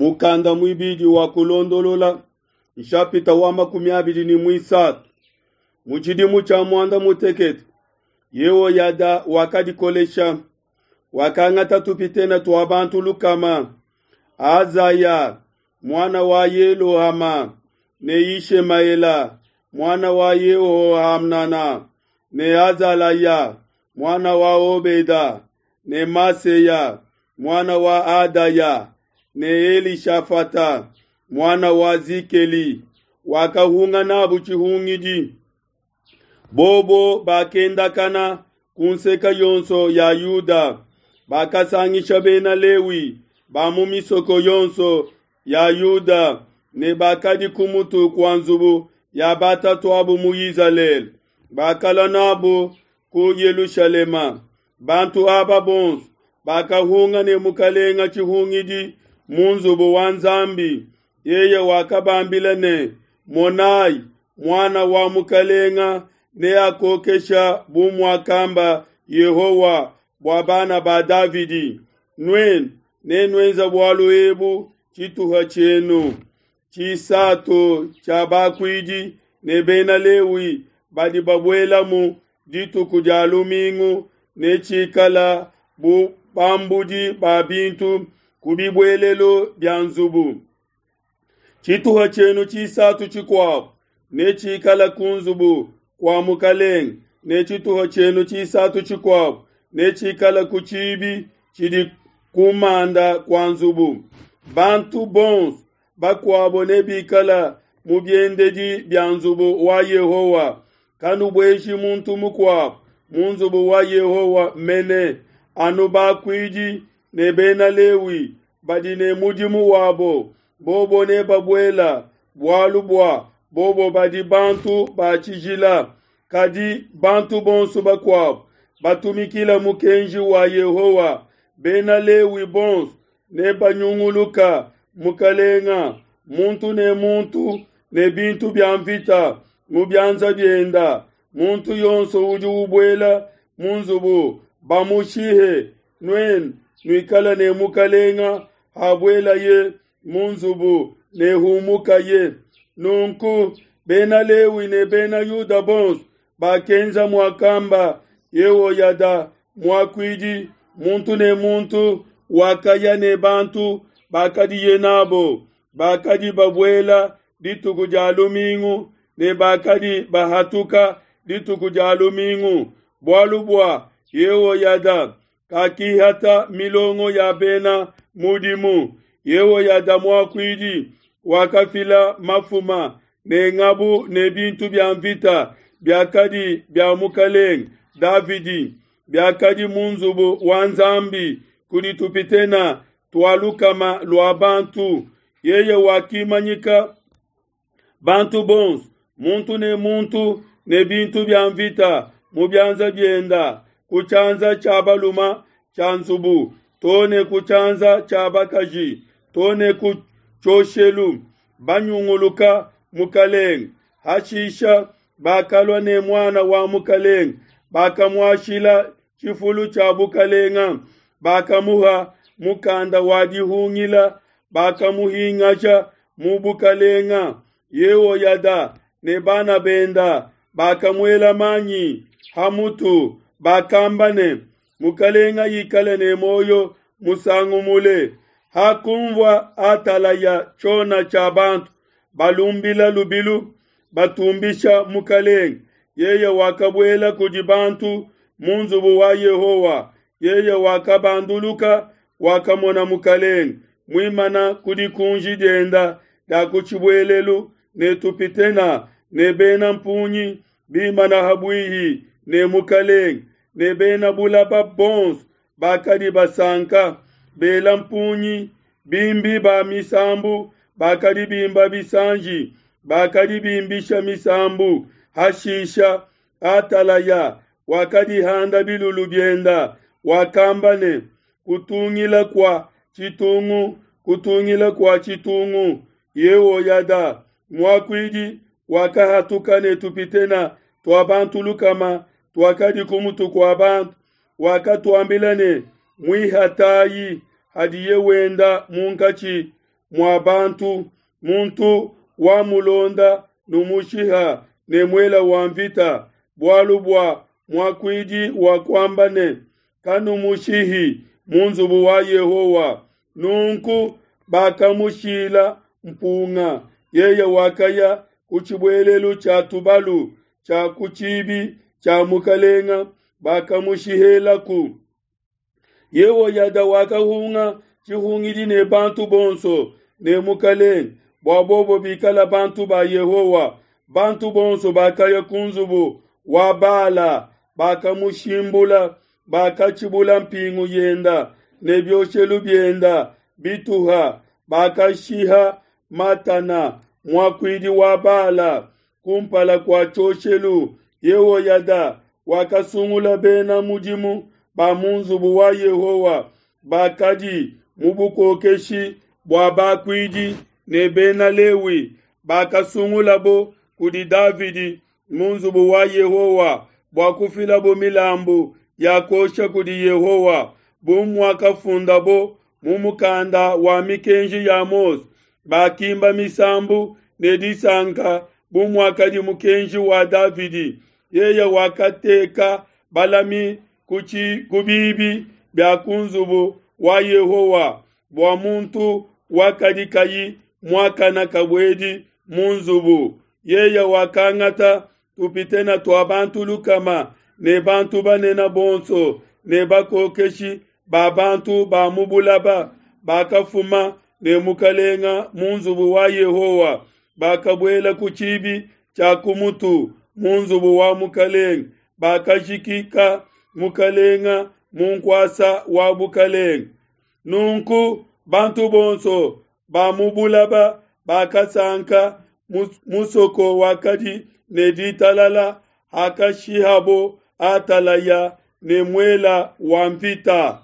Mukanda muibidi wa Kulondolola, nshapita wa 23. Mu tshidimu tshia muanda mutekete, Yehoyada wakadikolesha, wakangata tupitene tua bantu lukama, Azaya muana wa Yelohama ne Yishemaela muana wa Yehohanana ne Azalaya muana wa Obeda ne Maseya muana wa Adaya ne Elishafata muana wa Zikeli, wakahunga n'abo tshihungidi. Bobo bakendakana ku nseke yonso ya Yuda, bakasangisha Bena Lewi ba mu misoko yonso ya Yuda ne bakadi ku mutu kua nzubu ya batatu'abo mu Izalele, bakalua n'abo ku Yelushalema. Bantu aba bonso bakahunga ne mukelenge tshihungidi mu nzubu wa Nzambi. Yeye wakabambila ne, Monai, muana wa mukelenge neakokesha bu muakamba Yehowa bua bana ba Davidi. Nuenu nenuenze bualu ebu tshituha tshienu tshisatu tshia bakuidi ne Bena Lewi badi babuelamu dituku dia Lumingu netshikala bu bambudi ba bintu ku bibuelelu bia nzubu. Tshituha tshienu tshisatu tshikuabo netshikala ku nzubu kua mukelenge, ne tshituha tshienu tshisatu tshikuabo netshikala ku tshibi tshidi ku manda kua nzubu. Bantu bonso bakuabo nebikala mu biendedi bia nzubu wa Yehowa. Kanubueji muntu mukuabo mu nzubu wa Yehowa mene, anu bakuidi ne Bena Lewi badi ne mudimu wabo, bobo nebabuela, bualu bua bobo badi bantu ba tshijila. Kadi bantu bonso bakuabo batumikila mukenji wa Yehowa, Bena Lewi bonso nebanyunguluka mukelenge, muntu ne muntu ne bintu bia mvita mu bianza bienda. Muntu yonso udi ubuela mu nzubu bamushihe. Nuenu nuikala ne mukelenge habuelaye mu nzubu ne humukaye. Nunku Bena Lewi ne Bena Yuda bonso bakenza muakamba Yehoyada muakuidi, muntu ne muntu wakaya ne bantu bakadiye nabo, bakadi babuela dituku dia Lumingu ne bakadi bahatuka dituku dia Lumingu, bualu bua Yehoyada kakihata milongo ya bena mudimu. Yehoyada muakuidi wakafila mafuma ne ngabu ne bintu bia mvita biakadi bia mukelenge Davidi, biakadi mu nzubu wa Nzambi kudi tupitena tua lukama lua bantu. Yeye wakimanyika bantu bonso, muntu ne muntu ne bintu bia mvita mu bianza bienda, ku tshianza tshia baluma tshia nzubu to ne ku tshianza tshia bakaji to ne ku tshioshelu, banyunguluka mukelenge. Hashisha bakalua ne muana wa mukelenge, bakamuashila tshifulu tshia bukelenge, bakamuha mukanda wa dihungila, bakamuhingasha mu bukelenge. Yehoyada ne bana benda bakamuela manyi ha mutu, bakamba ne, Mukelenge ikale ne muoyo musangu mule. Hakunvua Atalaya tshiona tshia bantu balumbila lubilu batumbisha mukelenge, yeye wakabuela kudi bantu mu nzubu wa Yehowa. Yeye wakabanduluka, wakamona mukelenge muimana ku dikunji dienda dia ku tshibuelelu ne tupitena ne bena mpungi bimana ha buihi ne mukelenge ne bena bulaba bonso bakadi basanka, bela mpungi, bimbi ba misambu bakadi bimba bisanji, bakadi bimbisha misambu. Hashisha Atalaya wakadihanda bilulu bienda, wakamba ne, Kutungila kua tshitungu, kutungila kua tshitungu. Yehoyada muakuidi wakahatuka ne tupitena tua bantu lukama tuakadi ku mutu kua bantu, wakatuambila ne, Muihatayi hadiye wenda munkatshi. mua bantu, muntu wamulonda numushiha ne muela wa mvita, bualu bua muakuidi wakuamba ne, Kanumushihi mu nzubu wa Yehowa. Nunku bakamushila mpunga, yeye wakaya ku tshibuelelu tshia tubalu tshia ku tshibi tshia mukalenga, bakamushihelaku. Yehoyada wakahunga tshihungidi ne bantu bonso ne mukalenge bua bobo bikala bantu ba Yehowa. Bantu bonso bakaya ku nzubu wa Bala, bakamushimbula, bakatshibula mpingu yenda ne bioshelu bienda bituha, bakashiha Matana muakuidi wa Bala kumpala kua tshioshelu. Yehoyada wakasungula bena mudimu ba mu nzubu wa Yehowa bakadi mu bukokeshi bua bakuidi ne bena Lewi bakasungulabo kudi Davidi mu nzubu wa Yehowa bua kufilabo milambu ya kuosha kudi Yehowa, bu muakafundabo mu mukanda wa mikenji ya Mose. Bakimba misambu ne disanka bu muakadi mukenji wa Davidi. Yeye wakateka balami ku bibi bia ku nzubu wa Yehowa bua muntu wakadi kayi muakana kabuedi mu nzubu. Yeye wakangata tupitena tua bantu lukama ne bantu banene bonso ne bakokeshi ba bantu ba mu bulaba bakafuma ne mukalenga mu nzubu wa Yehowa, bakabuela ku tshibi tshia ku mutu mu nzubu wa mukalenga, bakajikika mukalenga mu nkuasa wa bukalenga. Nunku bantu bonso ba mu bulaba bakasanka, musoko wakadi ne ditalala hakashihabo Atalaya ne muela wa mvita.